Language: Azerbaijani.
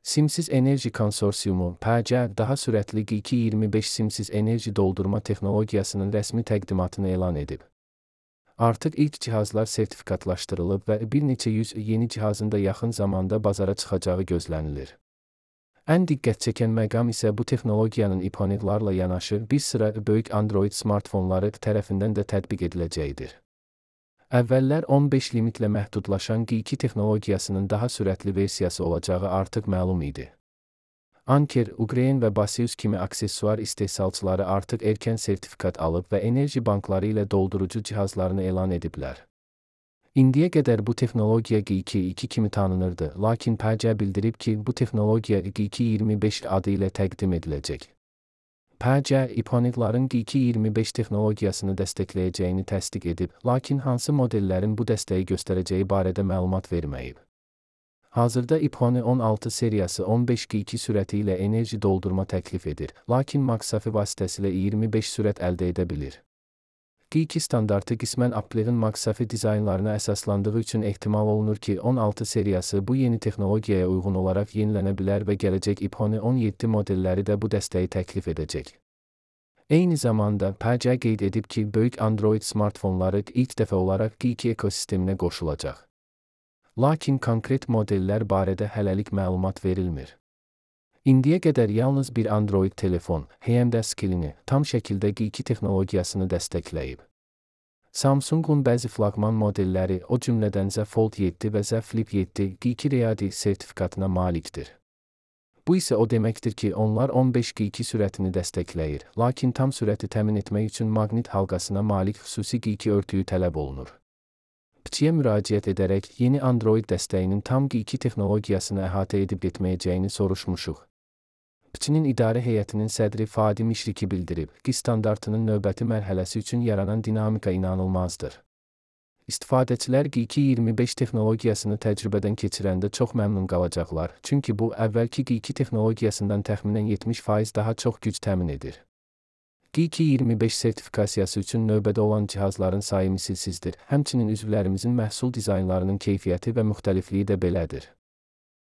Simsiz Enerji Konsorsiumu (PC) daha sürətli G225 simsiz enerji doldurma texnologiyasının rəsmi təqdimatını elan edib. Artıq ilk cihazlar sertifikatlaşdırılıb və bir neçə yüz yeni cihazın da yaxın zamanda bazara çıxacağı gözlənilir. Ən diqqətçəkən məqam isə bu texnologiyanın iPhone-larla yanaşı bir sıra böyük Android smartfonları tərəfindən də tətbiq ediləcəyidir. Əvvəllər 15 limitlə məhdudlaşan G2 texnologiyasının daha sürətli versiyası olacağı artıq məlum idi. Anker, Ukrayna və Basius kimi aksesuar istehsalçıları artıq erkən sertifikat alıb və enerji bankları ilə doldurucu cihazlarını elan ediblər. İndiyə qədər bu texnologiya G2 kimi tanınırdı, lakin PC bildirib ki, bu texnologiya G225 adı ilə təqdim ediləcək. PC, iPhone-ların G225 texnologiyasını dəstəkləyəcəyini təsdiq edib, lakin hansı modellərin bu dəstəyi göstərəcəyi barədə məlumat verməyib. Hazırda iPhone 16 seriyası 15 G2 sürəti ilə enerji doldurma təklif edir, lakin MagSafe vasitəsilə 25 sürət əldə edə bilir. G2 standartı qismən Apple'ın MagSafe dizaynlarına əsaslandığı üçün ehtimal olunur ki, 16 seriyası bu yeni texnologiyaya uyğun olaraq yenilənə bilər və gələcək iPhone 17 modelləri də bu dəstəyi təklif edəcək. Eyni zamanda, PC qeyd edib ki, böyük Android smartfonları ilk dəfə olaraq G2 ekosisteminə qoşulacaq. Lakin konkret modellər barədə hələlik məlumat verilmir. İndiyə qədər yalnız bir Android telefon, həm də skillini, tam şəkildə G2 texnologiyasını dəstəkləyib. Samsungun bəzi flaqman modelləri, o cümlədən Z Fold 7 və Z Flip 7 G2 Ready sertifikatına malikdir. Bu isə o deməkdir ki, onlar 15 G2 sürətini dəstəkləyir, lakin tam sürəti təmin etmək üçün maqnit halqasına malik xüsusi G2 örtüyü tələb olunur. PC'yə müraciət edərək yeni Android dəstəyinin tam G2 texnologiyasını əhatə edib etməyəcəyini soruşmuşuq. PC'nin idarə heyətinin sədri Fadi Mişriki bildirib ki, standartının növbəti mərhələsi üçün yaranan dinamika inanılmazdır. İstifadəçilər G225 texnologiyasını təcrübədən keçirəndə çox məmnun qalacaqlar, çünki bu, əvvəlki G2 texnologiyasından təxminən 70% daha çox güc təmin edir. G225 sertifikasiyası üçün növbədə olan cihazların sayı misilsizdir, həmçinin üzvlərimizin məhsul dizaynlarının keyfiyyəti və müxtəlifliyi də belədir.